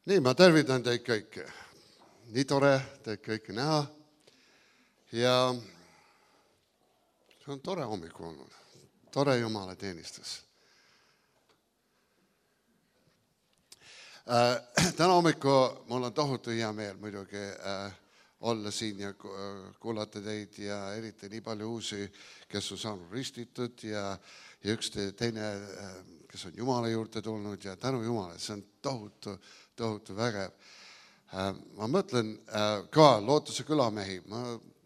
Nii, ma tervitan teid kõiki. Nii tore teid kõiki näha. Ja see on tore hommiku olnud. Tore Jumala teenistus. Täna hommiku mul on tohutu hea meel muidugi olla siin ja kuulata teid ja eriti nii palju uusi, kes on saanud ristitud ja üks teine, kes on Jumala juurde tulnud ja tänu Jumala, see on tohutu vägev. Ma mõtlen ka Lootuse külamehi,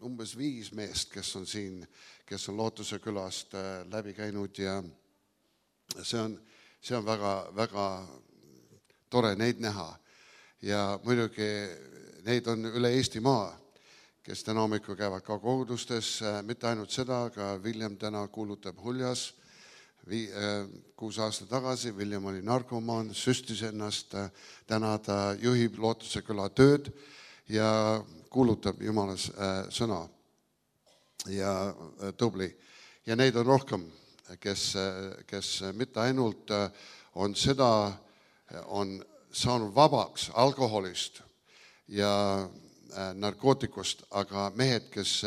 umbes 5 meest, kes on siin, kes on Lootuse külast läbi käinud ja see on väga tore neid näha. Ja muidugi neid on üle Eestimaa, kes täna hommikul käivad ka kogudustes, mitte ainult seda, aga William täna kuulutab Huljas. 6 aastat tagasi William oli narkomaan, süstis ennast, täna ta juhib Lootuse küla tööd ja kuulutab Jumala sõna ja tubli. Ja neid on rohkem, kes mitte ainult on saanud vabaks alkoholist ja narkootikust, aga mehed, kes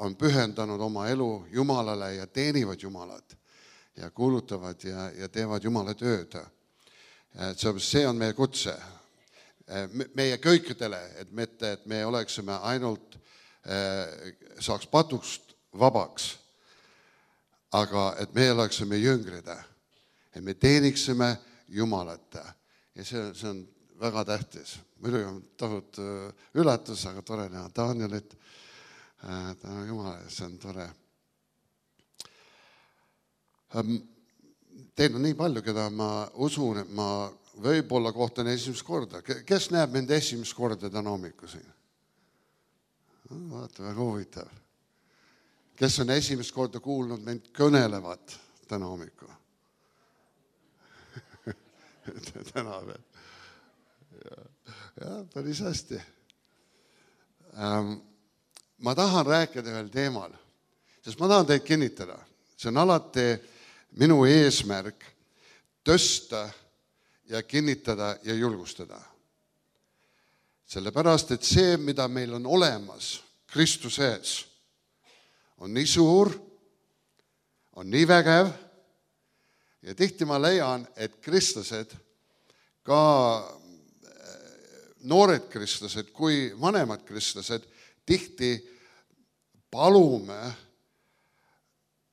on pühendanud oma elu Jumalale ja teenivad Jumalat ja kuulutavad ja teevad Jumala tööd. See on meie kutse. Meie kõikidele, et me oleksime ainult, saaks patust vabaks, aga et me oleksime jüngrid, et me teeniksime Jumalat. Ja see on väga tähtis. Muidugi on tohutu üllatus, aga tore näha Danielit. Tänu Jumala, see on tore. Teil on nii palju, keda ma usun, et ma võib-olla kohtan esimest korda. Kes näeb mind esimest korda täna hommiku siin? Vaata, väga huvitav. Kes on esimest korda kuulnud mind kõnelevat täna hommiku? Täna veel. Ja, päris hästi. Ma tahan rääkida veel teemal, sest ma tahan teid kinnitada. See on alati minu eesmärk tõsta ja kinnitada ja julgustada. Sellepärast, et see, mida meil on olemas Kristuses, on nii suur, on nii vägev ja tihti ma leian, et kristlased, ka noored kristlased kui vanemad kristlased, tihti palume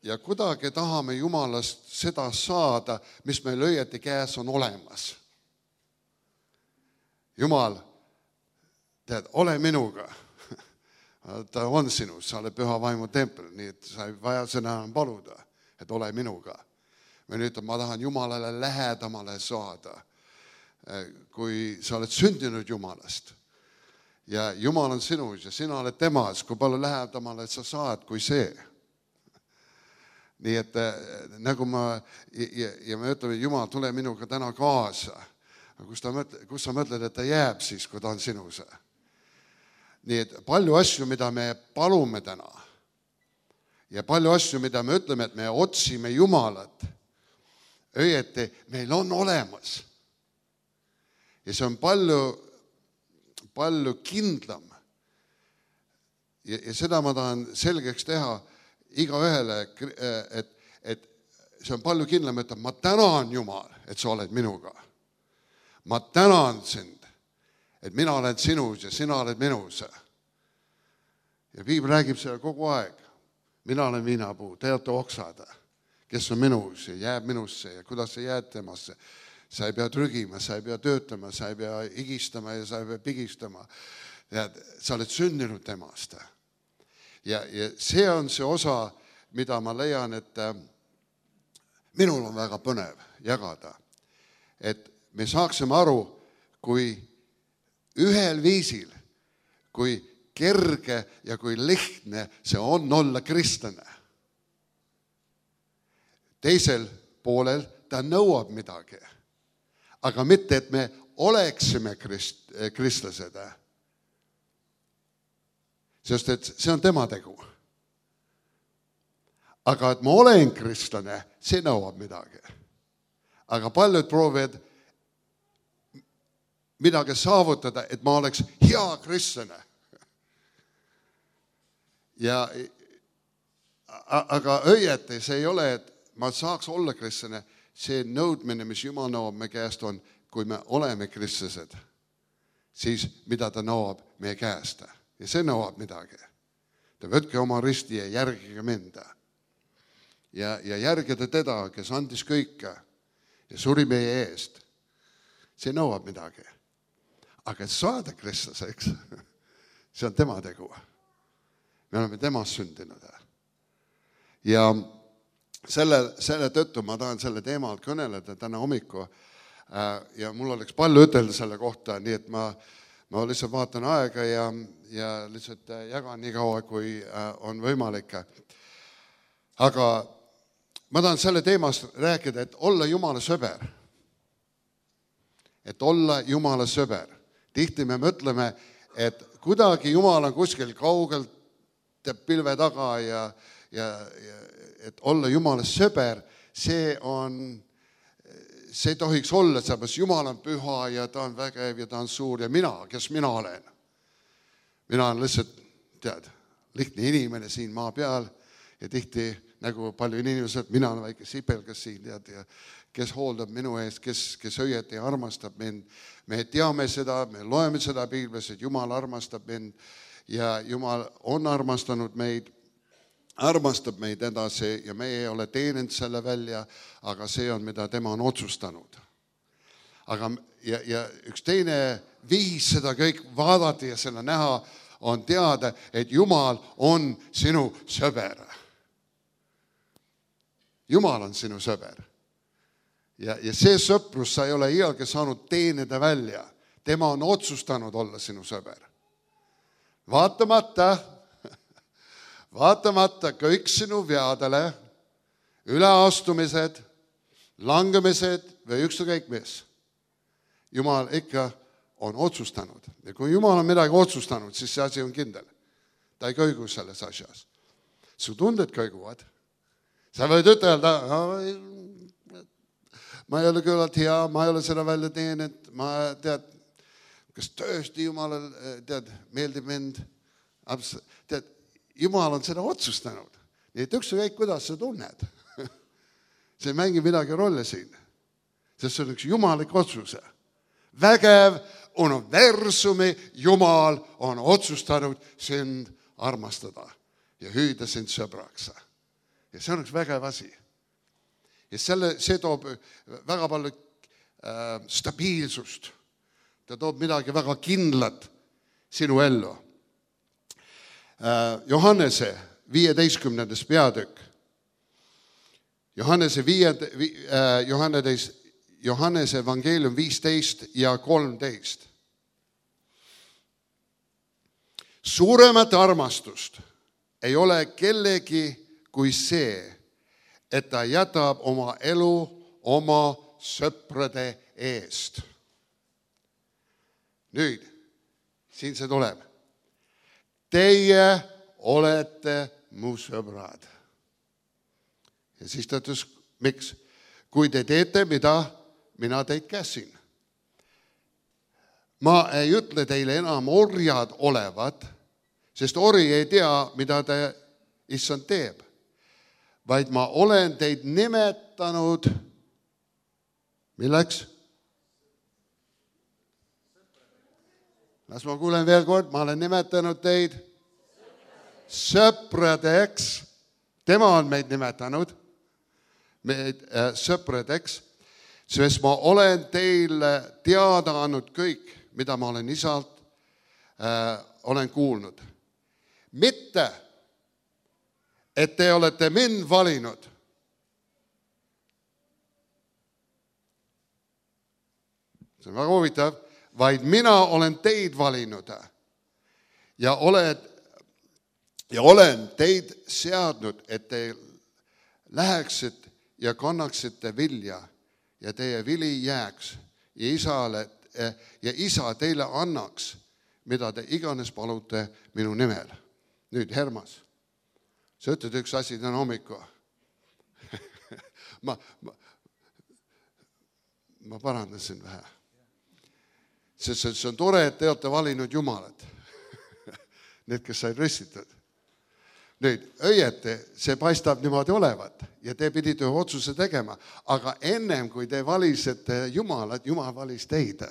ja kuidagi tahame Jumalast seda saada, mis meil õieti käes on olemas. Jumal, tead, ole minuga. Ta on sinus, sa oled püha vaimu tempel, nii et sa ei vaja seda enam paluda, et ole minuga. Või nüüd ma tahan Jumalale lähedamale saada, kui sa oled sündinud Jumalast. Ja Jumal on sinus ja sina oled temas, kui palju lähedamale sa saad kui see. Nii et nagu me ütleme, Jumal, tule minuga täna kaasa. Kus sa mõtled, et ta jääb siis, kui ta on sinus? Nii et palju asju, mida me palume täna ja palju asju, mida me ütleme, et me otsime Jumalat, õieti meil on olemas. Ja see on palju kindlam. Ja seda ma tahan selgeks teha igaühele, et see on palju kindlam, et ma tänan Jumal, et sa oled minuga. Ma tänan sind, et mina olen sinus ja sina oled minus. Ja Piibel räägib seda kogu aeg. Mina olen viinapuu, te olete oksad, kes on minus ja jääb minusse ja kuidas sa jääd temasse. Sa ei pea trügima, sa ei pea töötama, sa ei pea higistama ja sa ei pea pigistama. Sa oled sündinud temast. Ja see on see osa, mida ma leian, et minul on väga põnev jagada. Et me saaksime aru, kui ühel viisil, kui kerge ja kui lihtne see on olla kristlane. Teisel poolel ta nõuab midagi. Aga mitte, et me oleksime kristlased. Sest et see on tema tegu. Aga et ma olen kristlane, see nõuab midagi. Aga paljud proovivad midagi saavutada, et ma oleks hea kristlane. Aga õieti see ei ole, et ma saaks olla kristlane, see nõudmine, mis Jumal nõuab me käest on, kui me oleme kristlased, siis mida ta nõuab meie käest. Ja see nõuab midagi. Te võtke oma risti ja järgige mind. Ja järgida teda, kes andis kõike ja suri meie eest. See nõuab midagi. Aga et saada kristlaseks, see on tema tegu. Me oleme temast sündinud. Ja selle tõttu ma tahan selle teema alt kõneleda täna hommiku ja mul oleks palju ütelda selle kohta, nii et ma lihtsalt vaatan aega ja lihtsalt jagan nii kaua, kui on võimalik. Aga ma tahan selle teemast rääkida, et olla Jumala sõber. Et olla Jumala sõber. Tihti me mõtleme, et kuidagi Jumal on kuskil kaugelt pilve taga ja et olla Jumala sõber, see tohiks olla, sellepärast Jumal on püha ja ta on vägev ja ta on suur ja kes mina olen? Mina olen lihtsalt, lihtne inimene siin maa peal ja tihti nagu palju inimesed, mina olen väike sipelgas siin, ja kes hooldab minu eest, kes õieti armastab mind. Me teame seda, me loeme seda Piiblis, et Jumal armastab mind ja Jumal on armastab meid edasi ja me ei ole teeninud selle välja, aga see on, mida tema on otsustanud. Ja üks teine viis seda kõik vaadata ja selle näha on teada, et Jumal on sinu sõber. Jumal on sinu sõber. Ja see sõprus sa ei ole iialgi saanud teenida välja. Tema on otsustanud olla sinu sõber. Vaatamata kõik sinu veadele, üleastumised, langemised või ükskõik mis. Jumal ikka on otsustanud. Ja kui Jumal on midagi otsustanud, siis see asi on kindel. Ta ei kõigu selles asjas. Su tunded kõiguvad. Sa võid ütelda, ma ei ole küllalt hea, ma ei ole seda välja teeninud, ma kas tõesti Jumalale meeldib mind. Jumal on seda otsustanud. Nii et ükskõik, kuidas sa tunned. See ei mängi midagi rolle siin. Sest see on üks jumalik otsuse. Vägev universumi Jumal on otsustanud sind armastada ja hüüda sind sõbraks. Ja see on üks vägev asi. Ja see toob väga palju stabiilsust. Ta toob midagi väga kindlat sinu ellu. Johannese 15. peatükk. Johannese evangeelium 15 ja 13. Suuremat armastust ei ole kellegi kui see, et ta jätab oma elu oma sõprade eest. Nüüd, siin see tuleb. Teie olete mu sõbrad. Ja siis ta ütles, miks? Kui te teete, mida mina teid käsin. Ma ei ütle teile enam orjad olevat, sest ori ei tea, mida te issand teeb. Vaid ma olen teid nimetanud, milleks? Las ma kuulen veel kord, ma olen nimetanud teid sõpradeks. Tema on meid nimetanud sõpradeks, sest ma olen teile teada andnud kõik, mida ma olen isalt olen kuulnud. Mitte, et te olete mind valinud. See on väga huvitav. Vaid mina olen teid valinud ja olen teid seadnud, et te läheksid ja kannaksite vilja ja teie vili jääks ja isa teile annaks, mida te iganes palute minu nimel. Nüüd, Hermas, sa ütled üks asi täna hommiku. ma parandasin vähe. Sest see on tore, et te olete valinud Jumalat. Need, kes said ristitud. Nüüd, õieti, see paistab niimoodi olevat ja te pidite otsuse tegema, aga ennem kui te valisite Jumalat, Jumal valis teid.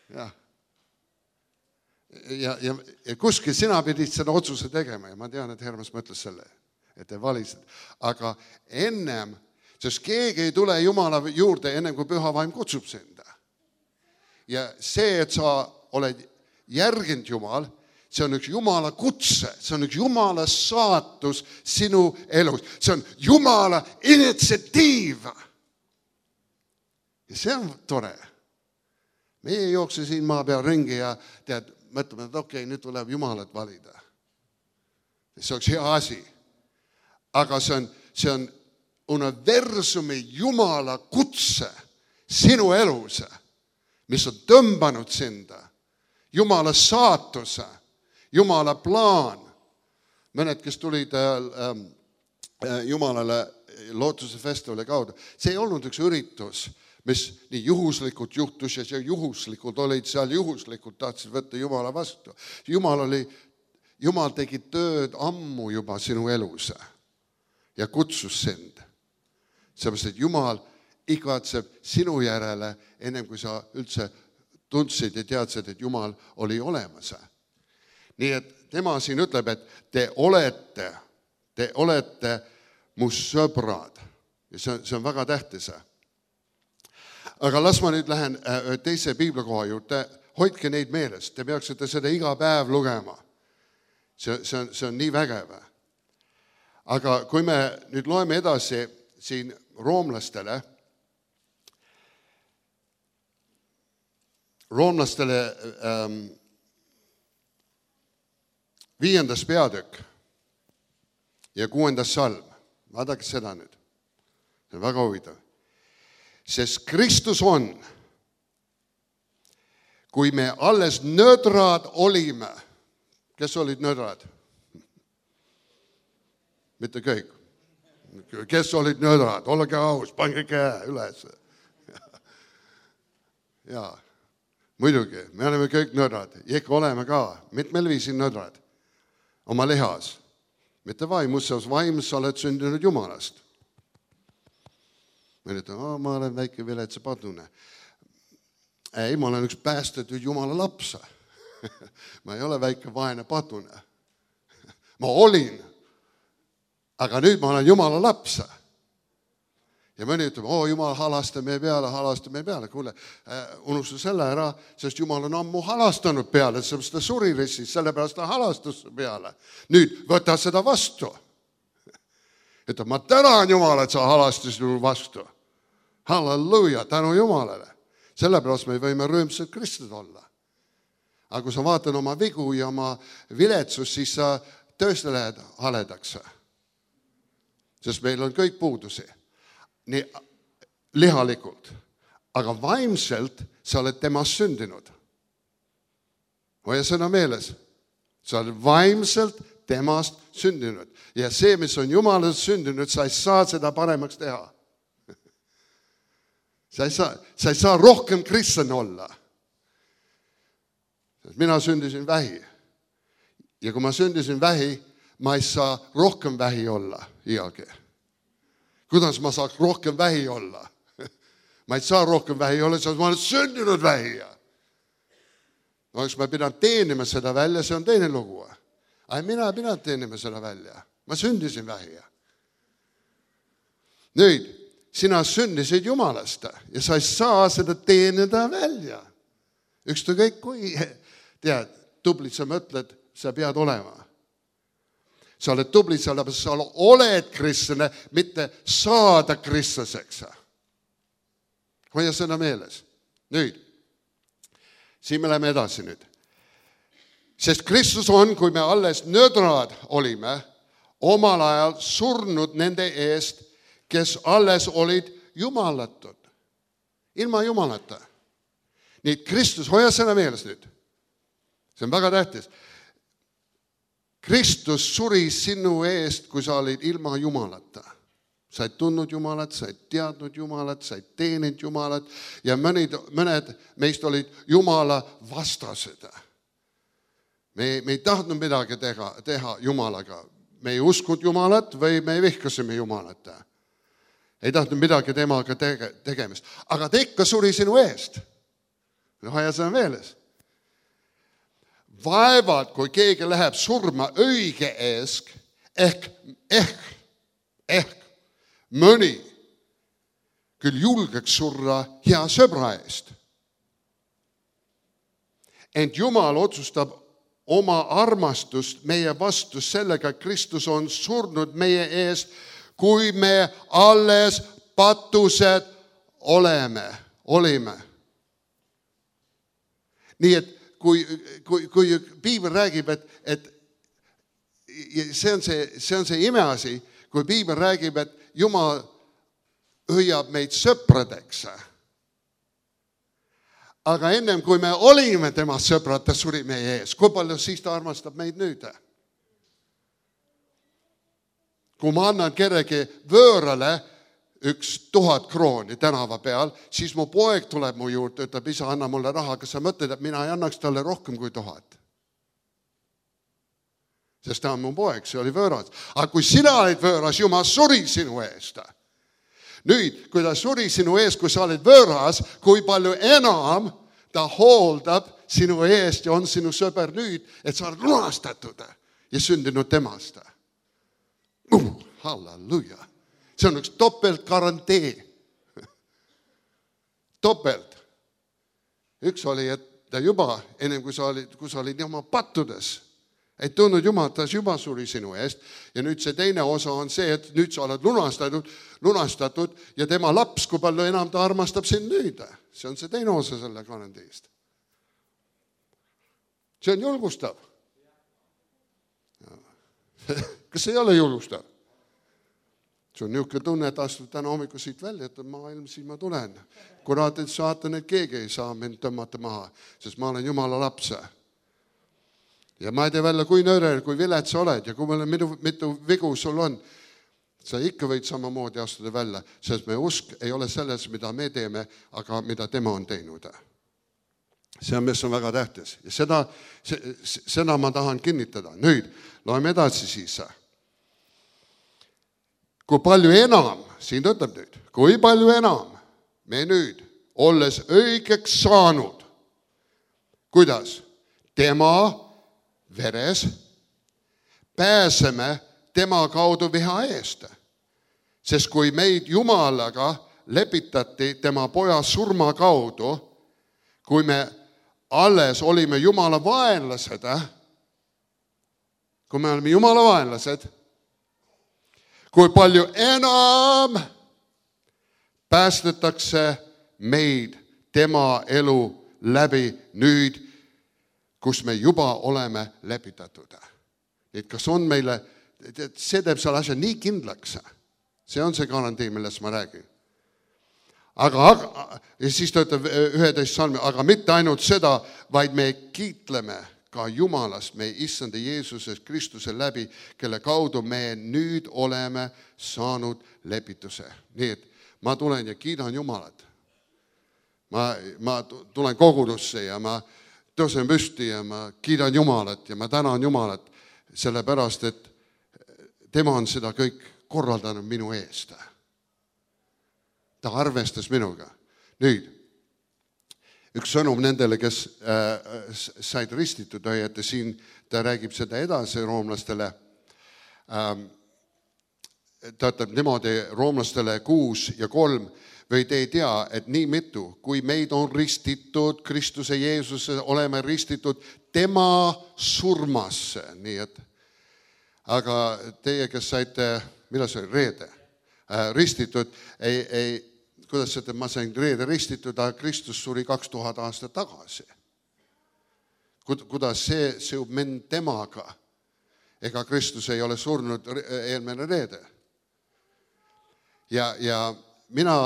Ja kuskil sina pidid seda otsuse tegema ja ma tean, et Hermas mõtles selle, et te valisid. Aga ennem, sest keegi ei tule Jumala juurde ennem kui Püha Vaim kutsub sind. Ja see, et sa oled järginud Jumal, see on üks Jumala kutse, see on üks Jumala saatus sinu elus. See on Jumala initsiatiiv. Ja see on tore. Meie ei jookse siin maa peal ringi ja tead, mõtleme, et okei, nüüd tuleb Jumalat valida. See oleks hea asi. Aga see on universumi Jumala kutse sinu elus, mis on tõmbanud sinda. Jumala saatuse, Jumala plaan. Mõned, kes tulid Jumalale lootuse festivali kaudu, see ei olnud üks üritus, mis nii juhuslikult juhtus ja see juhuslikult olid seal, juhuslikult tahtsid võtta Jumala vastu. Jumal tegi tööd ammu juba sinu elus ja kutsus sind. Seepärast, et Jumal igatseb sinu järele, ennem kui sa üldse tundsid ja teadsid, et Jumal oli olemas. Nii et tema siin ütleb, et te olete mu sõbrad. Ja see on väga tähtis. Aga las ma nüüd lähen teise piiblikoha juurde. Hoidke neid meeles. Te peaksite seda iga päev lugema. See on nii vägev. Aga kui me nüüd loeme edasi siin roomlastele 5. peatükk ja 6. salm. Vaadake seda nüüd. See on väga huvitav. Sest Kristus on, kui me alles nõdrad olime. Kes olid nõdrad? Mitte kõik. Kes olid nõdrad? Olge aus, pange käe üles. Jaa, muidugi, me oleme kõik nõdrad. Ikka oleme ka. Mitmel viisin nõdrad. Oma lihas. Mitte vaimus, vaimus sa oled sündinud Jumalast. Ma ütlen, ma olen väike viletsa padune. Ei, ma olen üks päästetud Jumala laps. Ma ei ole väike vaene padune. Ma olin, aga nüüd ma olen Jumala laps. Ja mõni ütleb, Jumal halasta meie peale. Kuule, unustu selle ära, sest Jumal on ammu halastanud peale, sest ta suri ristis, sellepärast ta halastus peale. Nüüd võta seda vastu. Ütleb, ma tänan Jumal, et sa halastasid minu vastu. Halleluja, tänu Jumalale. Sellepärast me võime rõõmsad kristid olla. Aga kui sa vaatad oma vigu ja oma viletsust, siis sa tõesti lähed haledaks. Sest meil on kõik puudusi. Nii lihalikult. Aga vaimselt sa oled temast sündinud. Hoia sõna meeles. Sa oled vaimselt temast sündinud. Ja see, mis on Jumalast sündinud, sa ei saa seda paremaks teha. Sa ei saa rohkem kristlane olla. Mina sündisin vähi. Ja kui ma sündisin vähi, ma ei saa rohkem vähi olla iialgi. Kuidas ma saaks rohkem vähi olla? Ma ei saa rohkem vähi olla, sest ma olen sündinud vähija. Oleks ma pidanud teenima seda välja, see on teine lugu. Aga mina ei pidanud teenima seda välja. Ma sündisin vähija. Nüüd, sina sündisid Jumalast ja sa ei saa seda teenida välja. Ükskõik kui, tead, tublit sa mõtled, sa pead olema. Sa oled tublit, sellepärast sa oled kristlane, mitte saada kristlaseks. Hoia sõna meeles. Nüüd, siin me läheme edasi nüüd. Sest Kristus on, kui me alles nõdrad olime, omal ajal surnud nende eest, kes alles olid jumalatud. Ilma Jumalata. Nii, Kristus, hoia sõna meeles nüüd. See on väga tähtis. Kristus suri sinu eest, kui sa olid ilma Jumalata. Sa ei tundnud Jumalat, sa ei teadnud Jumalat, sa ei teeninud Jumalat ja mõned meist olid Jumala vastased. Me ei tahtnud midagi teha Jumalaga. Me ei uskunud Jumalat või me vihkasime Jumalat. Ei tahtnud midagi temaga tegemist. Aga ta ikka suri sinu eest. Ja see on meeles. Vaevalt, kui keegi läheb surma õige eest, ehk mõni küll julgeks surra hea sõbra eest. Ent Jumal otsustab oma armastust meie vastu sellega, et Kristus on surnud meie eest, kui me alles patused olime. Nii et kui Piibel räägib, et see on see imeasi, kui Piibel räägib, et Jumal hõiab meid sõpradeks. Aga ennem kui me olime tema sõbrad, ta suri meie ees. Kui palju siis ta armastab meid nüüd? Kui ma annan kellegi võõrale 1000 krooni tänava peal, siis mu poeg tuleb mu juurde, ütleb, isa, anna mulle raha, kas sa mõtled, et mina ei annaks talle rohkem kui 1000? Sest ta on mu poeg, see oli võõras. Aga kui sina olid võõras, Jumal suri sinu eest. Nüüd, kui ta suri sinu eest, kui sa olid võõras, kui palju enam ta hooldab sinu eest ja on sinu sõber nüüd, et sa oled lunastatud ja sündinud temast. Halleluja. See on üks topeltgarantee. Topelt. Üks oli, et ta juba, ennem kui sa olid oma pattudes, ei tundnud Jumalat, ta juba suri sinu eest. Ja nüüd see teine osa on see, et nüüd sa oled lunastatud ja tema laps, kui palju enam ta armastab sind nüüd. See on see teine osa selle garanteest. See on julgustav. Kas see ei ole julgustav? See on niisugune tunne, et astud täna hommiku siit välja, et maailm, siis ma tulen. Kurat, et saatan, et keegi ei saa mind tõmmata maha, sest ma olen Jumala laps. Ja ma ei tea välja, kui nõrel, kui vilet sa oled ja kui mitu vigu sul on, sa ikka võid samamoodi astuda välja, sest me usk ei ole selles, mida me teeme, aga mida tema on teinud. See on, mis on väga tähtis. Ja seda ma tahan kinnitada. Nüüd, loeme edasi siis. Kui palju enam, siin ütleb nüüd, kui palju enam me nüüd, olles õigeks saanud, kuidas? Tema veres pääseme tema kaudu viha eest. Sest kui meid Jumalaga lepitati tema poja surma kaudu, kui me alles olime Jumala vaenlased, kui palju enam päästetakse meid tema elu läbi nüüd, kus me juba oleme lepitatud. Et kas on meile, see teeb seal asja nii kindlaks. See on see garantii, millest ma räägin. Ja siis ta ütleb 11 salmi, aga mitte ainult seda, vaid me kiitleme ka Jumalast, me issanda Jeesuses Kristuse läbi, kelle kaudu me nüüd oleme saanud lepituse. Nii et ma tulen ja kiidan Jumalat. Ma tulen kogudusse ja ma tõusen püsti ja ma kiidan Jumalat ja ma tänan Jumalat, sellepärast, et tema on seda kõik korraldanud minu eest. Ta arvestas minuga. Nüüd, üks sõnum nendele, kes said ristitud, et siin ta räägib seda edasi roomlastele. Ta ütleb niimoodi roomlastele 6 ja 3, või te ei tea, et nii mitu, kui meid on ristitud, Kristuse Jeesuse oleme ristitud tema surmasse. Nii et, aga teie, kes saite, mida see oli, reede, ristitud, kuidas see, ma sain reede ristitud, aga Kristus suri 2000 aastat tagasi. Kuidas see seub mind temaga? Ega Kristus ei ole surnud eelmine reede. Ja mina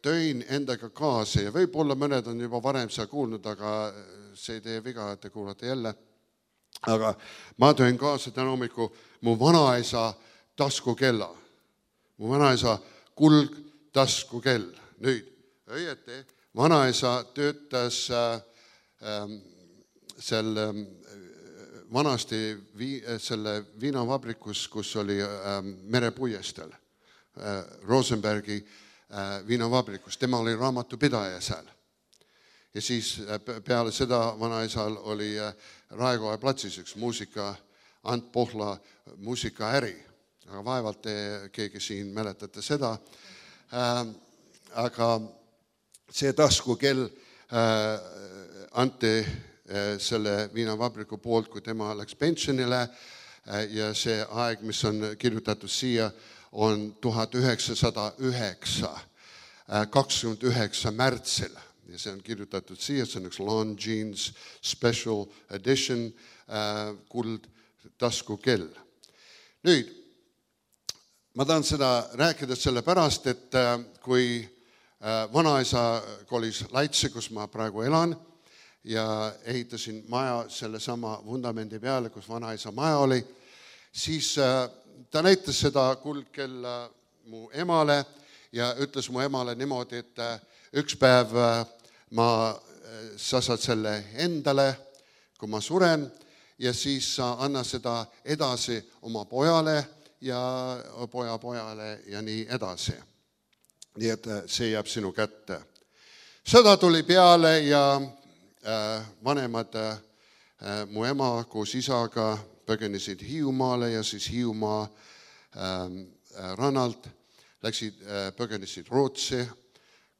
tõin endaga kaasa ja võib-olla mõned on juba varem seda kuulnud, aga see ei tee viga, et te kuulate jälle. Aga ma tõin kaasa täna hommiku mu vanaisa taskukella. mu vanaisa kuldtaskukell. Nüüd, õieti, vanaisa töötas vanasti selle viinavabrikus, kus oli merepuiestel, Rosenbergi viinavabrikus. Tema oli raamatupidaja seal. Ja siis peale seda vanaisal oli Raekoja platsis üks Ant Pohla muusikaäri. Aga vaevalt keegi siin mäletate seda. Aga see taskukell anti selle viinavabriku poolt, kui tema läks pensionile ja see aeg, mis on kirjutatud siia, on 1909, 29 märtsil. Ja see on kirjutatud siia, see on üks Lon Jeans Special Edition kuldtaskukell. Nüüd, ma tahan seda rääkida sellepärast, et kui vanaisa kolis Laitse, kus ma praegu elan, ja ehitasin maja selle sama vundamendi peale, kus vanaisa maja oli, siis ta näitas seda kuldkella mu emale ja ütles mu emale niimoodi, et üks päev sa saad selle endale, kui ma suren, ja siis sa anna seda edasi oma pojale ja pojale ja nii edasi. Nii et see jääb sinu kätte. Sõda tuli peale ja vanemad, mu ema koos isaga põgenesid Hiiumaale ja siis Hiiumaa rannalt põgenesid Rootsi,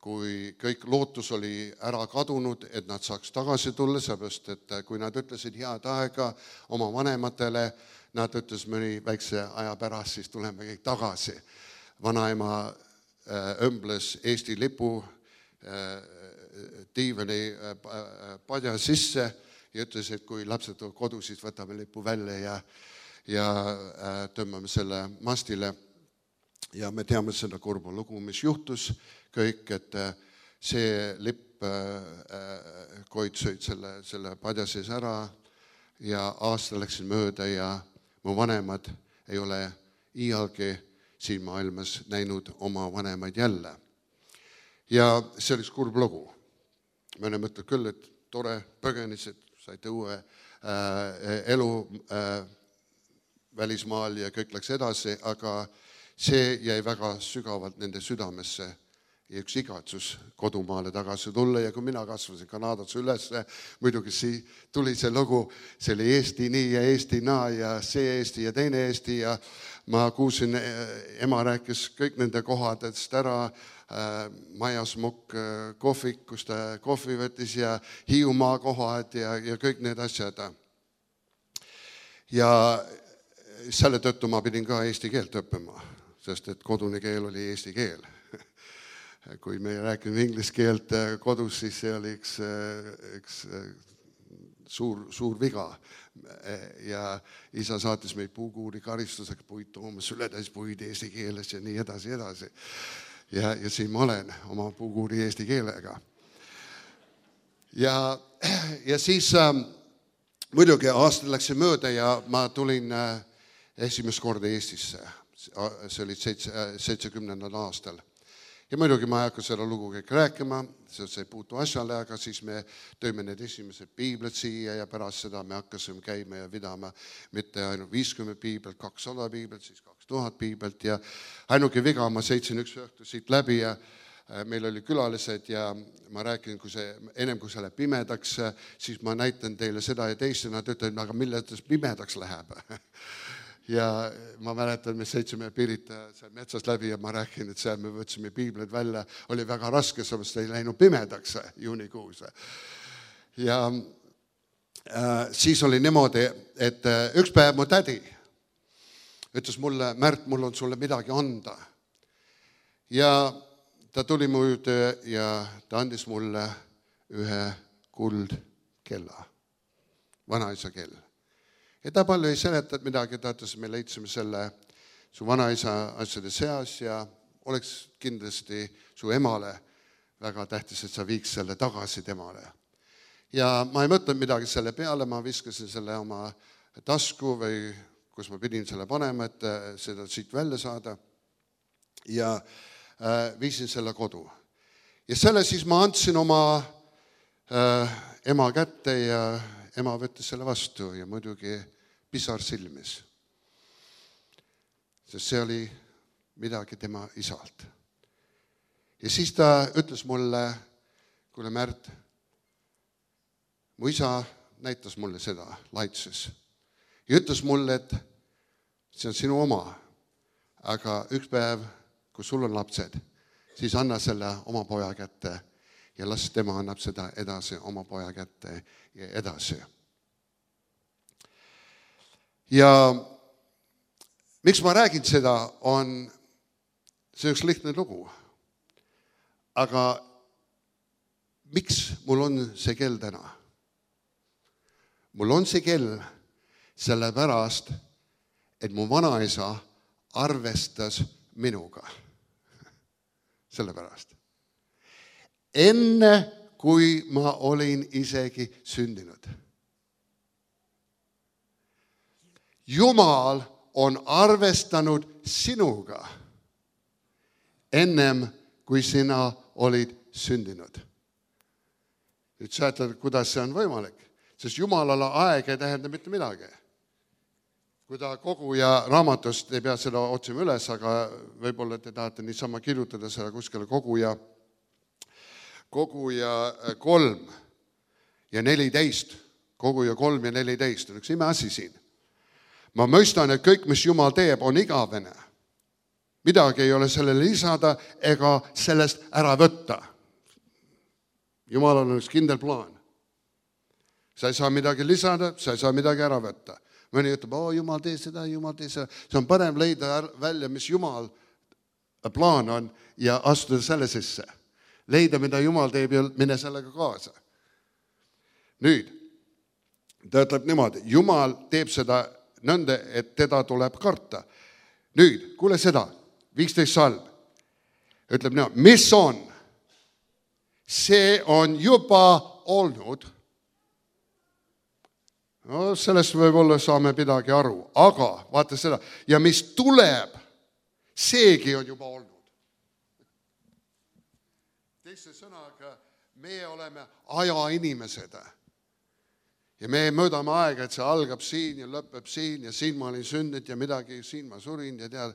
kui kõik lootus oli ära kadunud, et nad saaks tagasi tulla, sellepärast et kui nad ütlesid head aega oma vanematele, nad ütles mõni väikse aja pärast, siis tuleme kõik tagasi. Vanaema õmbles Eesti lipu diivani padja sisse ja ütles, et kui lapsed tulevad kodu, siis võtame lipu välja ja tõmbame selle mastile. Ja me teame seda kurba lugu, mis juhtus kõik, et see lipp koid sõid selle padja sees ära ja aasta läksid mööda ja mu vanemad ei ole iialgi siin maailmas näinud oma vanemaid jälle. Ja see oli kurb lugu. Me oleme mõtled küll, et tore põgenesid, saite uue elu välismaal ja kõik läks edasi, aga see jäi väga sügavalt nende südamesse ja üks igatsus kodumaale tagasi tulla. Ja kui mina kasvasin Kanadas üles, muidugi tuli see lugu, see oli Eesti nii ja Eesti naa ja see Eesti ja teine Eesti ja ma kuulsin, ema rääkis kõik nende kohadest ära, Majasmukk kohvik, kus ta kohvi võttis ja Hiiumaa kohad ja kõik need asjad. Ja selle tõttu ma pidin ka eesti keelt õppima, sest et kodune keel oli eesti keel. Kui me rääkime inglise keelt kodus, siis see oli üks suur viga. Ja isa saatis meid puukuuri karistusega puid toomas, ületäis puid eesti keeles ja nii edasi. Ja siin ma olen oma puukuuri eesti keelega. Ja siis muidugi aasta läks mööda ja ma tulin esimest korda Eestisse. See oli 70. aastal. Ja muidugi ma ei hakka seda lugu kõik rääkima, sest see ei puutu asjale, aga siis me tõime need esimesed piiblid siia ja pärast seda me hakkasime käima ja vidama mitte ainult 50 piiblit, 200 piiblit, siis 2000 piiblit ja ainuke viga, ma sõitsin üks õhtu siit läbi ja meil oli külalised ja ma rääkin, ennem kui see läheb pimedaks, siis ma näitan teile seda ja teist ja nad ütlevad, aga milles pimedaks läheb. Ja ma mäletan, me sõitsime Pirita metsast läbi ja ma rääkin, et seal me võtsime piiblid välja, oli väga raske, sellepärast ei läinud pimedaks juunikuus. Ja siis oli niimoodi, et üks päev mu tädi ütles mulle, Märt, mul on sulle midagi anda. Ja ta tuli mu juurde ja ta andis mulle ühe kuldkella, vanaisa kell. Ja ta palju ei seletanud midagi, ta ütles, me leidsime selle su vanaisa asjade seas ja oleks kindlasti su emale väga tähtis, et sa viiks selle tagasi temale. Ja ma ei mõtlenud midagi selle peale, ma viskasin selle oma tasku või kus ma pidin selle panema, et seda siit välja saada. ja viisin selle kodu. Ja selle siis ma andsin oma ema kätte ja ema võttis selle vastu ja muidugi pisar silmis. Sest see oli midagi tema isalt. Ja siis ta ütles mulle, kuule Märt, mu isa näitas mulle seda laitses. Ja ütles mulle, et see on sinu oma, aga üks päev, kui sul on lapsed, siis anna selle oma poja kätte ja las tema annab seda edasi oma poja kätte ja edasi. Ja miks ma räägin seda, on see üks lihtne lugu. Aga miks mul on see kell täna? Mul on see kell sellepärast, et mu vanaisa arvestas minuga. Sellepärast. Enne, kui ma olin isegi sündinud. Jumal on arvestanud sinuga ennem, kui sina olid sündinud. Nüüd säätled, kuidas see on võimalik, sest Jumalale aeg ei tähenda mitte midagi. Kui ta koguja raamatust, ei pea seda otsima üles, aga võib-olla te tahate niisama kirjutada seda kuskile koguja 3 ja 14. Koguja 3 ja 14 on üks imeasi siin. Ma mõistan, et kõik, mis Jumal teeb, on igavene. Midagi ei ole sellele lisada ega sellest ära võtta. Jumalal on üks kindel plaan. Sa ei saa midagi lisada, sa ei saa midagi ära võtta. Mõni ütleb, Jumal tee seda, Jumal tee seda. See on parem leida välja, mis Jumal plaan on ja astuda selle sisse. Leida, mida Jumal teeb ja mine sellega kaasa. Nüüd, ta ütleb niimoodi, Jumal teeb seda nõnda, et teda tuleb karta. Nüüd, kuule seda, 15 salm. Ütleb niimoodi, mis on? See on juba olnud. No, sellest võib-olla saame midagi aru, aga vaata seda. Ja mis tuleb, seegi on juba olnud. Teise sõnaga, me oleme ajainimesed. Ja me mõõdame aega, et see algab siin ja lõpeb siin ja siin ma olin sündinud ja midagi, siin ma surin ja tead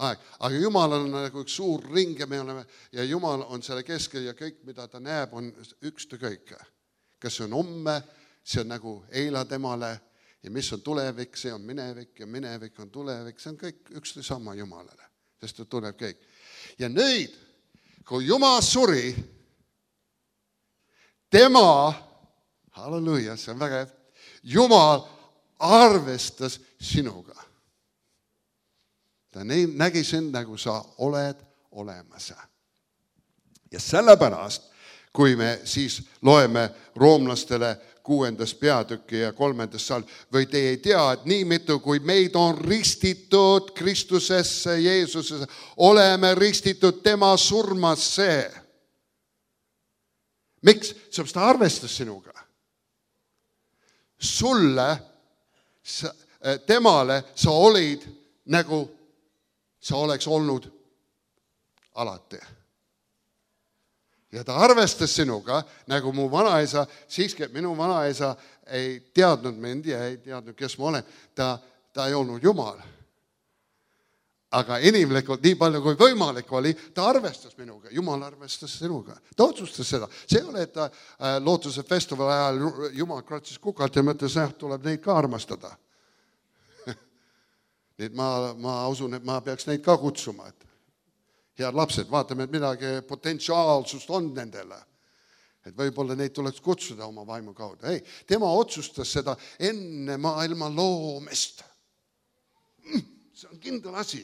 aeg. Aga Jumal on nagu üks suur ring ja me oleme, ja Jumal on selle keskel ja kõik, mida ta näeb, on ükskõik. Kas see on homme, see on nagu eila temale ja mis on tulevik, see on minevik ja minevik on tulevik, see on kõik üksteise sama Jumalale, sest ta tuleb kõik. Ja nüüd, kui Jumal suri, tema, halleluja, see on väga hea, Jumal arvestas sinuga. Ta nägi sind, nagu sa oled olemas. Ja sellepärast, kui me siis loeme roomlastele 6. peatükki ja 3. salm, või te ei tea, et nii mitu, kui meid on ristitud Kristusesse, Jeesusesse, oleme ristitud tema surmasse. Miks? Seepärast ta arvestas sinuga. Sulle, temale sa olid nagu sa oleks olnud alati. Ja ta arvestas sinuga, nagu mu vanaisa, siiski minu vanaisa ei teadnud mind ja ei teadnud, kes ma olen. Ta ei olnud Jumal. Aga inimlikult nii palju kui võimalik oli, ta arvestas minuga. Jumal arvestas sinuga. Ta otsustas seda. See ei ole, et ta lootuse festivali ajal Jumal kratsis kukalt ja mõtles, tuleb neid ka armastada. Nii et ma usun, et ma peaks neid ka kutsuma. Head lapsed, vaatame, et midagi potentsiaalsust on nendele. Et võib-olla neid tuleks kutsuda oma vaimu kaudu. Ei, tema otsustas seda enne maailma loomist. See on kindel asi.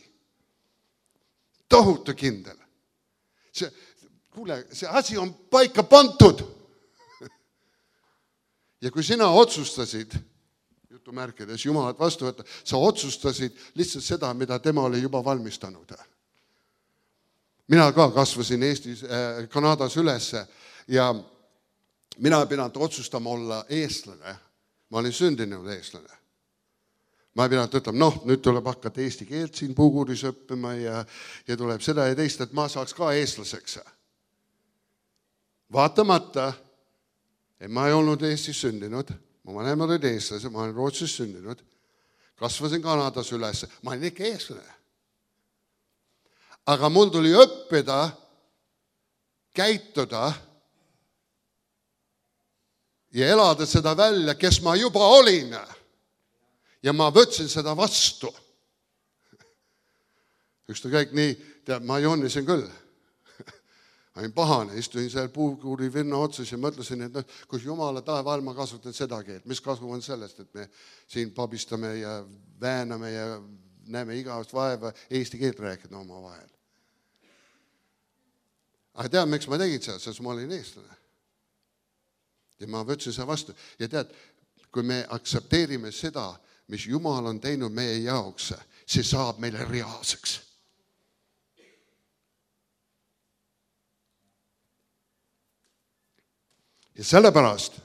Tohutu kindel. Kuule, see asi on paika pantud. Ja kui sina otsustasid, jutumärkides Jumalat vastu võtta, sa otsustasid lihtsalt seda, mida tema oli juba valmistanud. Mina ka kasvasin Eestis, Kanadas ülesse ja mina pidanud otsustama olla eestlane. Ma olin sündinud eestlane. Ma ei pidanud ütlema, nüüd tuleb hakata eesti keelt siin Puguris õppima ja tuleb seda ja teist, et ma saaks ka eestlaseks. Vaatamata, et ma ei olnud Eestis sündinud, mu vanemad olid eestlased, ma olen Rootsis sündinud, kasvasin Kanadas üles, ma olin ikka eestlane. Aga mul tuli õppida, käituda ja elada seda välja, kes ma juba olin. Ja ma võtsin seda vastu. Üksta kõik nii, ma joonisin küll. Ma olin pahane, istuin seal Puuguri vinna otsas ja mõtlesin, et kus jumala taeval ma kasutan seda keelt. Mis kasu on sellest, et me siin pabistame ja vääname ja näeme igavast vaeva eesti keelt rääkida oma vahel. Aga tead, miks ma tegin seda, sest ma olin eestlane. Ja ma võtsin seda vastu. Ja tead, kui me aktsepteerime seda, mis Jumal on teinud meie jaoks, see saab meile reaalseks. Ja sellepärast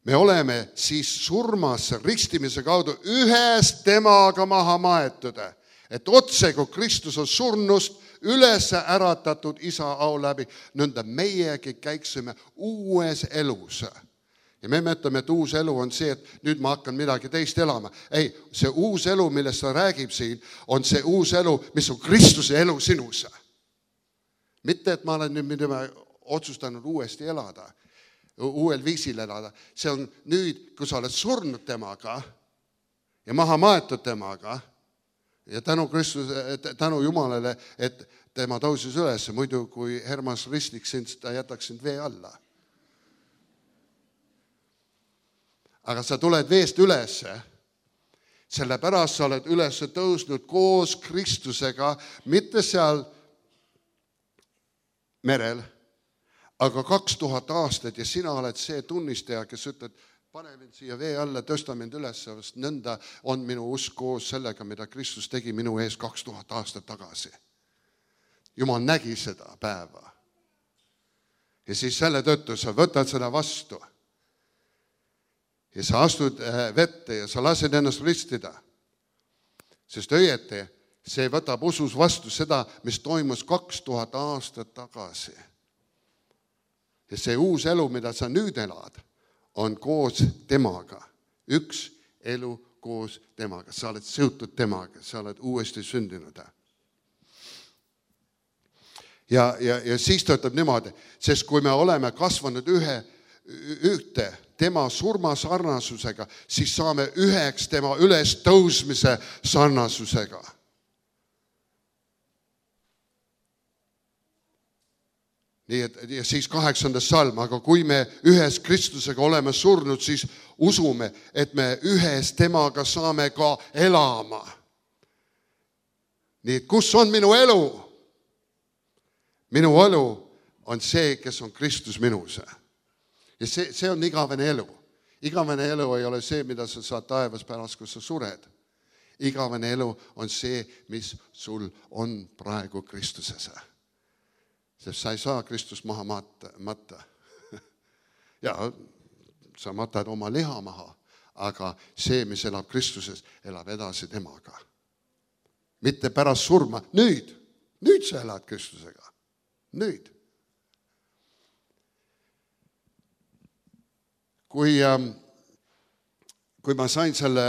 me oleme siis surmasse ristimise kaudu ühes temaga maha maetud, et otse kui Kristus on surnust üles äratatud isa au läbi, nõnda meiegi käiksime uues elus. Ja me mõtleme, et uus elu on see, et nüüd ma hakkan midagi teist elama. Ei, see uus elu, millest ta räägib siin, on see uus elu, mis on Kristuse elu sinus. Mitte, et ma olen nüüd otsustanud uuesti elada, uuel viisil elada. See on nüüd, kui sa oled surnud temaga ja maha maetud temaga ja tänu Jumalale, et tema tõusis üles, muidu kui Hermas ristiks sind, ta jätaks sind vee alla. Aga sa tuled veest üles, sellepärast sa oled üles tõusnud koos Kristusega, mitte seal merel, aga 2000 aastat ja sina oled see tunnistaja, kes ütled, pane mind siia vee alla, tõsta mind üles, sest nõnda on minu usk koos sellega, mida Kristus tegi minu ees 2000 aastat tagasi. Jumal nägi seda päeva. Ja siis selle tõttu sa võtad seda vastu. Ja sa astud vette ja sa lased ennast ristida. Sest õieti, see võtab usus vastu seda, mis toimus 2000 aastat tagasi. Ja see uus elu, mida sa nüüd elad, on koos temaga. Üks elu koos temaga. Sa oled seotud temaga, sa oled uuesti sündinud. Ja siis ta ütleb niimoodi, sest kui me oleme kasvanud ühte tema surma sarnasusega, siis saame üheks tema üles tõusmise sarnasusega. Nii et, ja siis 8. salm, aga kui me ühes Kristusega oleme surnud, siis usume, et me ühes temaga saame ka elama. Nii et kus on minu elu? Minu elu on see, kes on Kristus minus. Ja see on igavene elu. Igavene elu ei ole see, mida sa saad taevas pärast, kui sa sured. Igavene elu on see, mis sul on praegu Kristuses. Sest sa ei saa Kristust maha matta. Ja, sa matad oma liha maha, aga see, mis elab Kristuses, elab edasi temaga. Mitte pärast surma. Nüüd sa elad Kristusega. Nüüd. Kui ma sain selle,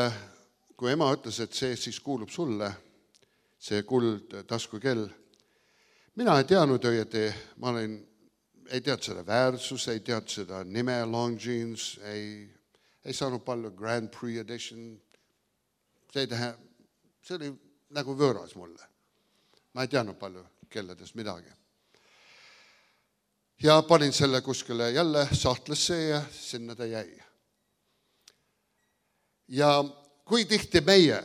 kui ema ütles, et see siis kuulub sulle, see kuld taskukell, mina ei teadnud õieti, ma ei teadnud seda väärsus, ei teadnud seda nime Longines, ei saanud palju Grand Prix Edition. See oli nagu võõras mulle. Ma ei teadnud palju kelledest midagi. Ja panin selle kuskile jälle sahtlesse ja sinna ta jäi. Ja kui tihti meie,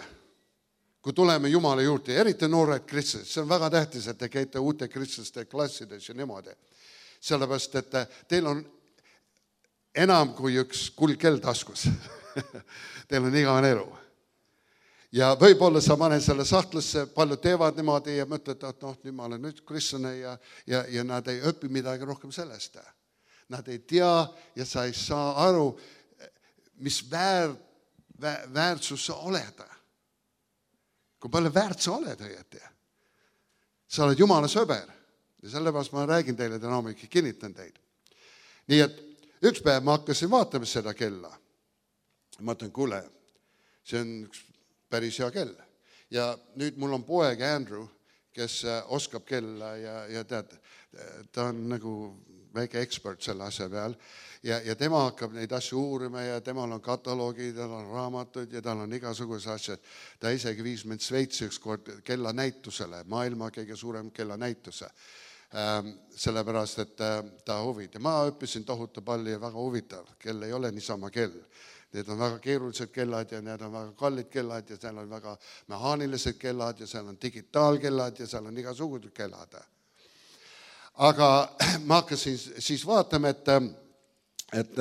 kui tuleme Jumala juurde, eriti noored kristlased, see on väga tähtis, et te käite uute kristlaste klassides ja niimoodi. Sellepärast, et teil on enam kui üks kuldkell taskus. Teil on igavene elu. Ja võib-olla sa paned selle sahtlesse, paljud teevad niimoodi ja mõtled, et nüüd ma olen nüüd kristlane ja nad ei õpi midagi rohkem sellest. Nad ei tea ja sa ei saa aru, mis väärsus sa oled. kui palju väärt sa oled õieti. Sa oled Jumala sõber ja sellepärast ma räägin teile täna hommikul, kinnitan teid. Nii et üks päev ma hakkasin vaatama seda kella. Ma ütlen, kuule, see on üks päris hea kell. Ja nüüd mul on poeg Andrew, kes oskab kella ja tead, ta on nagu väike ekspert selle asja peal ja tema hakkab neid asju uurima ja temal on kataloogid, tal on raamatud ja tal on igasugused asjad. Ta isegi viis mind Sveitsi üks kord kellanäitusele, maailma kõige suurem kellanäituse. Sellepärast, et ta huvitav. Ma õppisin tohutu palju ja väga huvitav. Kell ei ole niisama kell. Need on väga keerulised kellad ja need on väga kallid kellad ja seal on väga mehaanilised kellad ja seal on digitaalkellad ja seal on igasugused kellad. Aga ma hakkasin siis vaatama, et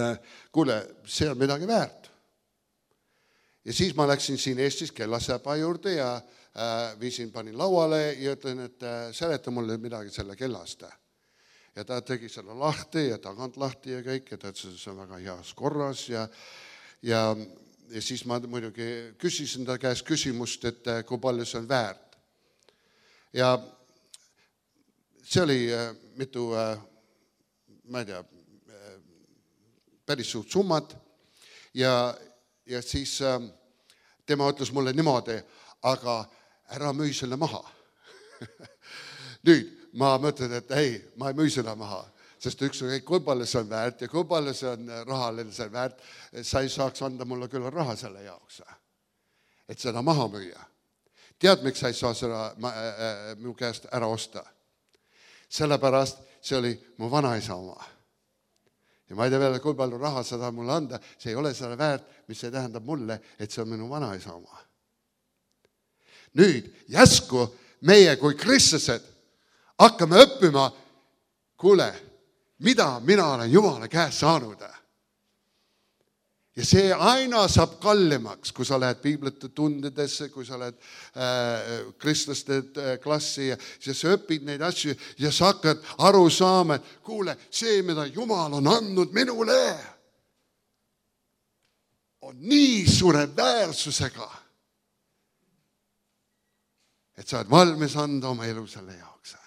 kuule, see on midagi väärt. Ja siis ma läksin siin Eestis kellasäpa juurde ja panin lauale ja ütlen, et seleta mulle midagi selle kellast. Ja ta tegi selle lahti ja tagant lahti ja kõik, ja ta ütles, see on väga heas korras ja siis ma muidugi küsisin ta käest küsimust, et kui palju see on väärt. Ja see oli mitu, ma ei tea, päris suurt summat ja siis tema ütles mulle niimoodi, aga ära müü selle maha. Nüüd ma mõtlen, et ei, ma ei müü seda maha, sest üks on kõik, kui palju see on väärt ja kui palju see on rahaline see väärt, sa ei saaks anda mulle küll raha selle jaoks, et seda maha müüa. Tead, miks sa ei saa seda minu käest ära osta? Sellepärast see oli mu vanaisa oma. Ja ma ei tea veel, kui palju raha sa tahad mulle anda, see ei ole selle väärt, mis see tähendab mulle, et see on minu vanaisa oma. Nüüd jäsku meie kui kristlased hakkame õppima, kuule, mida mina olen Jumala käest saanud. Ja see aina saab kallimaks, kui sa lähed piiblite tundidesse, kui sa lähed kristlaste klassi ja siis sa õpid neid asju ja sa hakkad aru saama, et kuule, see, mida Jumal on andnud minule, on nii suure väärsusega, et sa oled valmis anda oma elu selle jaoks.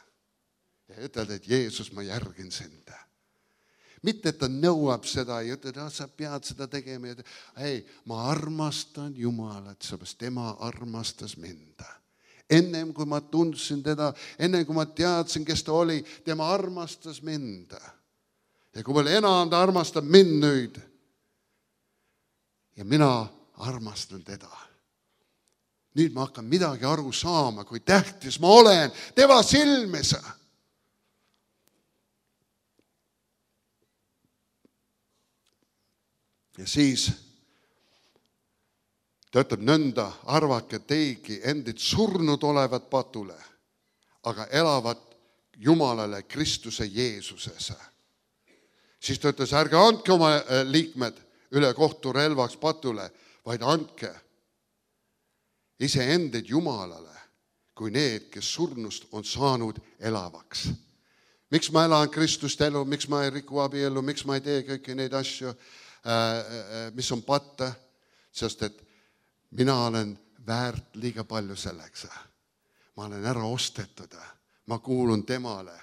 Ja ütled, et Jeesus, ma järgin sind. Mitte, et ta nõuab seda ja ütled, et sa pead seda tegema. Ei, ma armastan Jumalat, seepärast tema armastas mind. Ennem kui ma tundsin teda, ennem kui ma teadsin, kes ta oli, tema armastas mind. Ja kui veel enam ta armastab mind nüüd. Ja mina armastan teda. Nüüd ma hakkan midagi aru saama, kui tähtis ma olen tema silmis. Ja siis ta ütleb nõnda, arvake teigi endid surnud olevat patule, aga elavad Jumalale Kristuse Jeesuses. Siis ta ütles, ärge andke oma liikmed üle kohturelvaks patule, vaid andke iseendid Jumalale, kui need, kes surnust on saanud elavaks. Miks ma elan Kristust elu, miks ma ei riku abielu, miks ma ei tee kõiki neid asju, mis on patta, sest et mina olen väärt liiga palju selleks. Ma olen ära ostetud, ma kuulun temale.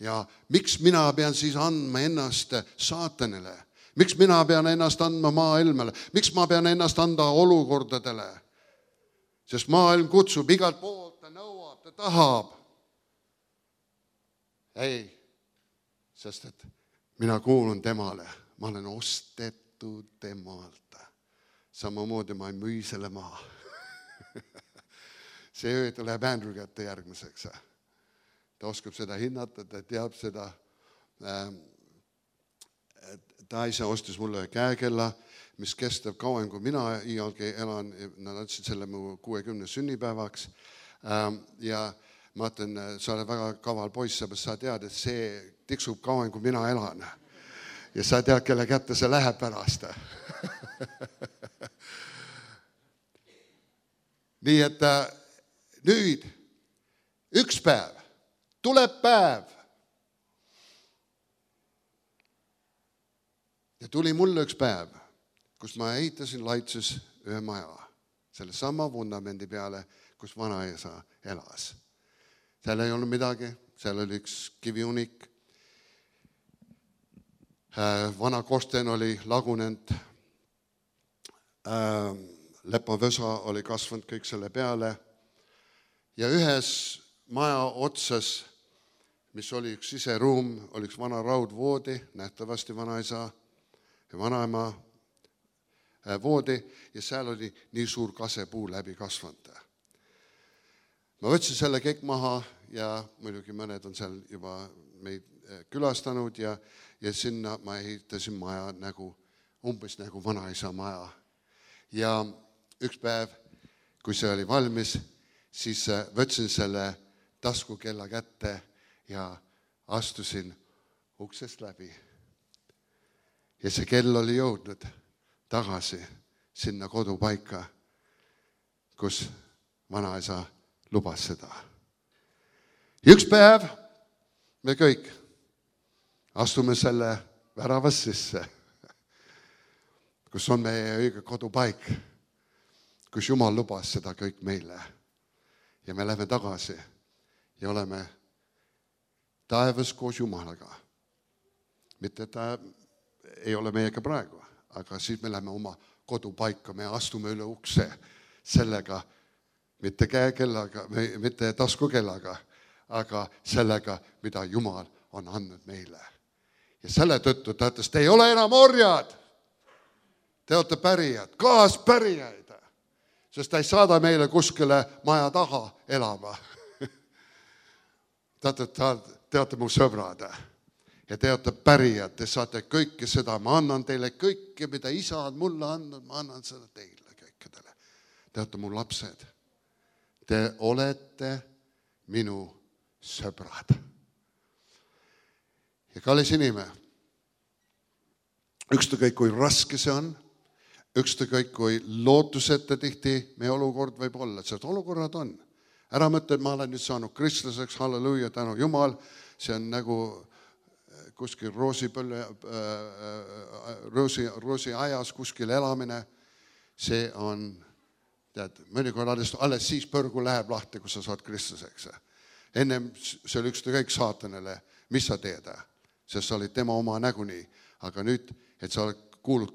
Ja miks mina pean siis andma ennast saatanile? Miks mina pean ennast andma maailmale? Miks ma pean ennast anda olukordadele? Sest maailm kutsub igalt poolt, ta nõuab, ta tahab. Ei, sest et mina kuulun temale. Ma olen ostetud temalt. Samamoodi ma ei müü selle maha. See öö läheb Andrew kätte järgmiseks. Ta oskab seda hinnata, ta teab seda. Ta ise ostis mulle käekella, mis kestab kauem, kui mina iialgi elan. Nad andsid selle mu 60 sünnipäevaks. Ja ma ütlen, sa oled väga kaval poiss, sa tead, et see tiksub kauem, kui mina elan. Ja sa tead, kelle kätte see läheb pärast. Nii et nüüd üks päev, tuleb päev. Ja tuli mulle üks päev, kus ma ehitasin Laitses ühe maja, selle sama vundamendi peale, kus vanaisa elas. Seal ei olnud midagi, seal oli üks kiviunik. Vana korsten oli lagunenud, lepavösa oli kasvanud kõik selle peale ja ühes maja otsas, mis oli üks siseruum, oli üks vana raudvoodi, nähtavasti vanaisa ja vanaema voodi ja seal oli nii suur kasepuu läbi kasvanud. Ma võtsin selle kõik maha ja muidugi mõned on seal juba meid külastanud ja sinna ma ehitasin maja umbes nagu vanaisa maja. Ja üks päev, kui see oli valmis, siis võtsin selle taskukella kätte ja astusin uksest läbi. Ja see kell oli jõudnud tagasi sinna kodupaika, kus vanaisa lubas seda. Ja üks päev me kõik astume selle väravast sisse, kus on meie õige kodupaik, kus Jumal lubas seda kõik meile. Ja me läheme tagasi ja oleme taevas koos Jumalaga. Mitte, et ta ei ole meiega praegu, aga siis me läheme oma kodupaika, me astume üle ukse sellega, mitte käekellaga, mitte taskukellaga, aga sellega, mida Jumal on andnud meile. Ja selle tõttu ta ütles, te ei ole enam orjad, te olete pärijad, kaaspärijaid, sest ta ei saada meile kuskile maja taha elama. Te olete mu sõbrad ja te olete pärijad, te saate kõike seda, ma annan teile kõike, mida isa on mulle andnud, ma annan seda teile kõikidele. Te olete mu lapsed, te olete minu sõbrad. Ja kallis inimene, ükskõik kui raske see on, ükskõik kui lootuseta tihti meie olukord võib olla, sest olukorrad on. Ära mõtle, et ma olen nüüd saanud kristlaseks, halleluuja, tänu Jumal, see on nagu kuskil roosi ajas kuskil elamine, see on, tead, mõnikord alles siis põrgu läheb lahti, kui sa saad kristlaseks. Ennem see oli ükskõik saatanile, mis sa teed, sest sa olid tema oma näguni, aga nüüd, et sa kuulud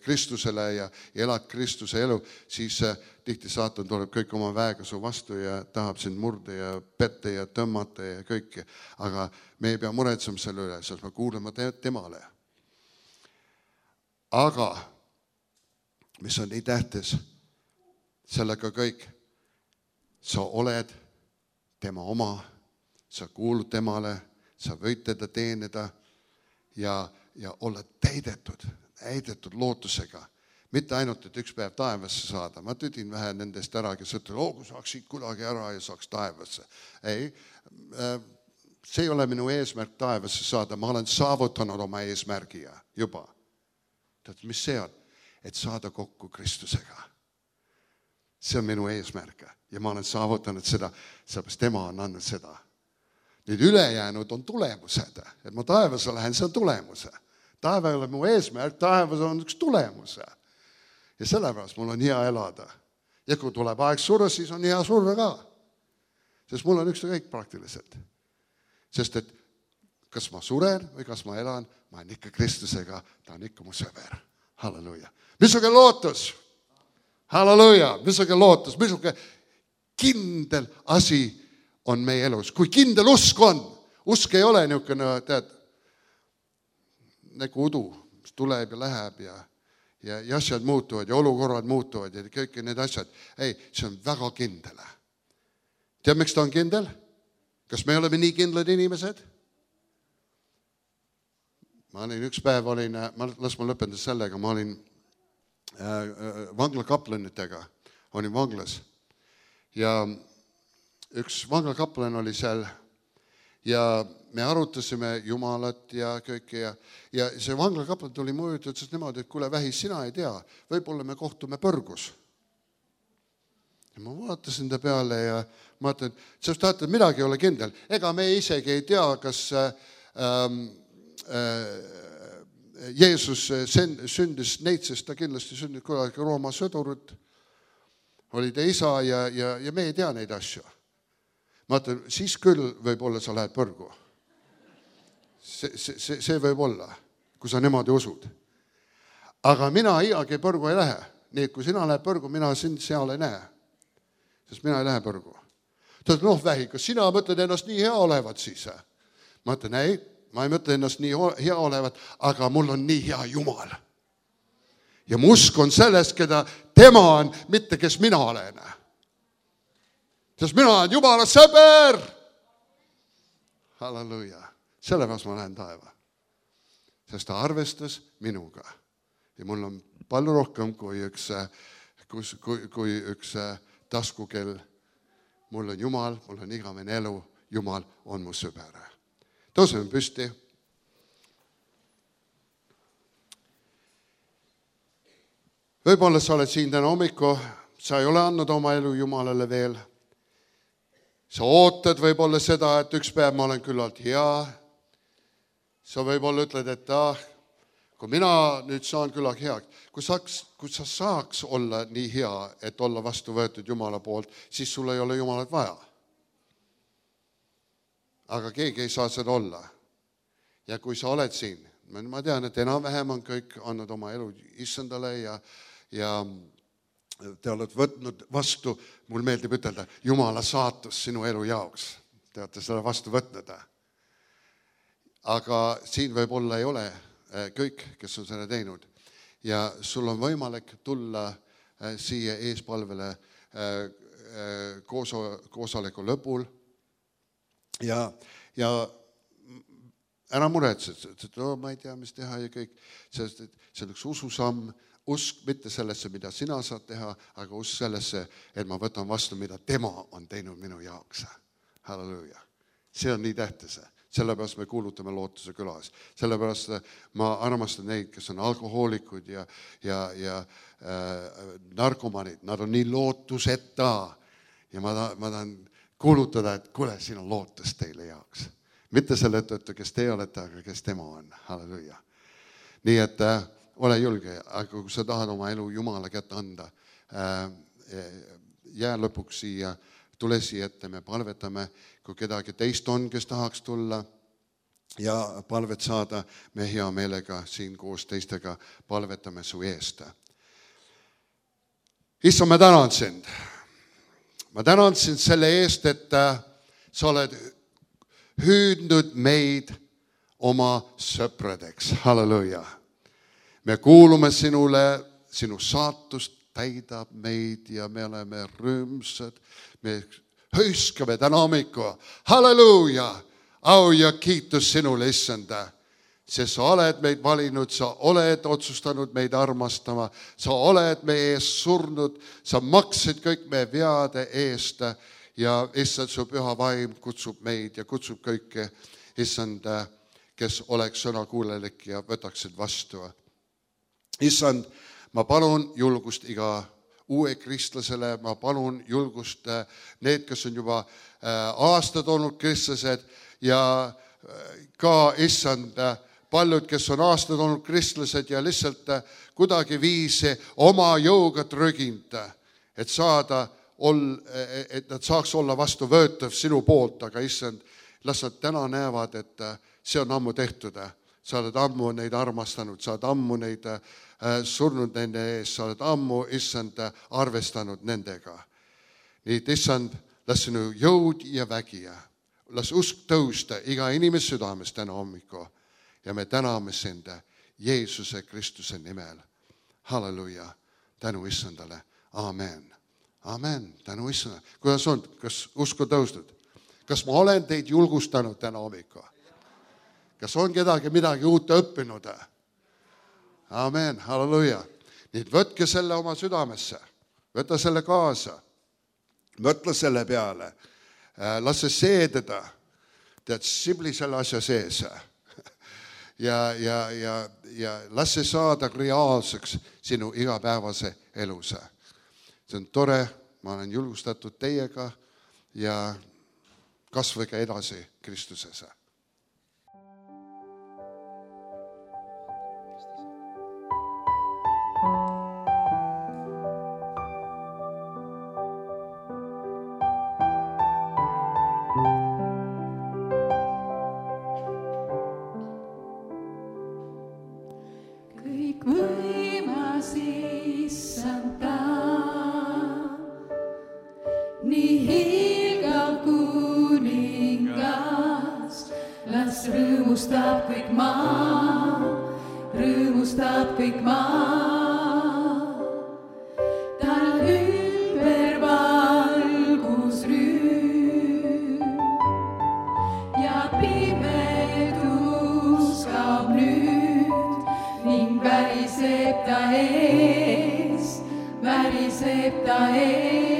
Kristusele ja elad Kristuse elu, siis tihti saatan tuleb kõik oma väega su vastu ja tahab sind murda ja petta ja tõmmata ja kõike. Aga me ei pea muretsema selle üle, sest me kuuleme temale. Aga, mis on nii tähtis, sellega kõik, sa oled tema oma, sa kuulud temale, sa võid teda teenida ja olla täidetud lootusega. Mitte ainult, et üks päev taevasse saada. Ma tüdin vähe nendest ära, kes ütlevad, kui saaks siit kuidagi ära ja saaks taevasse. Ei, see ei ole minu eesmärk taevasse saada. Ma olen saavutanud oma eesmärgi juba. Tead, mis see on? Et saada kokku Kristusega. See on minu eesmärk ja ma olen saavutanud seda, sellepärast tema on andnud seda. Nüüd ülejäänud on tulemused, et ma taevasse lähen, see on tulemuse. Taeva ei ole mu eesmärk, taevas on üks tulemus. Ja sellepärast mul on hea elada. Ja kui tuleb aeg surra, siis on hea surra ka. Sest mul on ükskõik praktiliselt. Sest et kas ma suren või kas ma elan, ma olen ikka Kristusega, ta on ikka mu sõber. Halleluuja. Missugune lootus? Halleluuja. Missugune lootus? Missugune kindel asi on meie elus. Kui kindel usk on, usk ei ole niisugune, tead, nagu udu, mis tuleb ja läheb ja asjad muutuvad ja olukorrad muutuvad ja kõik need asjad. Ei, see on väga kindel. Tead, miks ta on kindel? Kas me oleme nii kindlad inimesed? Ma olin üks päev, las ma lõpetan sellega, ma olin vanglakaplanitega, olin vanglas ja üks vanglakaplan oli seal ja me arutasime Jumalat ja kõike ja see vanglakaplan tuli mu juurde, ütles niimoodi, et kuule Vähis, sina ei tea, võib-olla me kohtume põrgus. Ja ma vaatasin ta peale ja ma ütlen, et sa tahad, et midagi ei ole kindel. Ega me isegi ei tea, kas Jeesus sündis neitsest, ta kindlasti sündis kuidagi Rooma sõdurit. oli ta isa ja me ei tea neid asju. Ma ütlen, siis küll võib-olla sa lähed põrgu. See võib olla, kui sa niimoodi usud. Aga mina iiagi põrgu ei lähe. Nii, et kui sina lähed põrgu, mina sind seal ei näe. Sest mina ei lähe põrgu. Ta ütleb, vähi, kas sina mõtled ennast nii hea olevat siis? Ma ütlen, ei, ma ei mõtle ennast nii hea olevat, aga mul on nii hea Jumal. Ja mu usk on selles, keda tema on, mitte kes mina olen. Sest mina olen Jumala sõber. Halleluja. Sellepärast ma lähen taeva. Sest ta arvestas minuga. Ja mul on palju rohkem kui üks taskukell. Mul on Jumal, mul on igavene elu. Jumal on mu sõber. Tõuseme püsti. Võib-olla sa oled siin täna hommiku, sa ei ole andnud oma elu Jumalale veel. Sa ootad võib-olla seda, et üks päev ma olen küllalt hea. Sa võib-olla ütled, et kui mina nüüd saan küllalt heaks, kui sa saaks olla nii hea, et olla vastu võetud Jumala poolt, siis sul ei ole Jumalat vaja. Aga keegi ei saa seda olla. Ja kui sa oled siin, ma tean, et enam-vähem on kõik andnud oma elu Issandale ja te olete võtnud vastu, mul meeldib ütelda, Jumala saatus sinu elu jaoks. Te olete seda vastu võtnud. Aga siin võib-olla ei ole kõik, kes on seda teinud. Ja sul on võimalik tulla siia eespalvele koosoleku lõpul. Ja ära muretsed, et ma ei tea, mis teha ja kõik. See on üks ususamm. Usk mitte sellesse, mida sina saad teha, aga usk sellesse, et ma võtan vastu, mida tema on teinud minu jaoks. Halleluja. See on nii tähtis. Sellepärast me kuulutame Lootuse külas. Sellepärast ma armastan neid, kes on alkohoolikud ja narkomanid. Nad on nii lootuseta. Ja ma tahan kuulutada, et kuule, siin on lootus teile jaoks. Mitte selle tõttu, kes te olete, aga kes tema on. Halleluja. Nii et ole julge, aga kui sa tahad oma elu Jumala kätte anda, jää lõpuks siia, tule siia ette, me palvetame, kui kedagi teist on, kes tahaks tulla ja palvet saada, me hea meelega siin koos teistega palvetame su eest. Issa, ma tänan sind. Ma tänan sind selle eest, et sa oled hüüdnud meid oma sõpradeks. Halleluja. Me kuulume sinule, sinu saatust täidab meid ja me oleme rõõmsad. Me hõiskame täna hommiku. Halleluuja! Au ja kiitus sinule, Issanda. Sest sa oled meid valinud, sa oled otsustanud meid armastama, sa oled meie eest surnud, sa maksid kõik meie veade eest ja Issand, su püha vaim kutsub meid ja kutsub kõike, Issand, kes oleks sõnakuulelik ja võtaksid vastu. Issand, ma palun julgust iga uue kristlasele, ma palun julgust need, kes on juba aastad olnud kristlased ja ka, Issand, paljud, kes on aastad olnud kristlased ja lihtsalt kuidagi viisi oma jõuga trüginud, et nad saaks olla vastu võetav sinu poolt, aga Issand, las nad täna näevad, et see on ammu tehtud. Sa oled ammu neid armastanud, sa oled ammu neid surnud nende ees, sa oled ammu, Issand, arvestanud nendega. Nii et Issand, las sinu jõud ja vägi, las usk tõusta iga inimese südames täna hommiku ja me täname sind Jeesuse Kristuse nimel. Halleluja, tänu Issandale, amen. Amen, tänu Issandale. Kuidas on, kas usku tõusnud? Kas ma olen teid julgustanud täna hommiku? Kas on kedagi midagi uut õppinud? Amen, halleluja. Nii võtke selle oma südamesse, võta selle kaasa, mõtle selle peale, las see seededa, tead, sibli selle asja sees ja las see saada reaalseks sinu igapäevase elus. See on tore, ma olen julgustatud teiega ja kasvage edasi Kristuses. las rõõmustab kõik maa, rõõmustab kõik maa. Tal ümber valgusrüüm ja pimedus kaob nüüd ning väriseb ta ees, väriseb ta ees.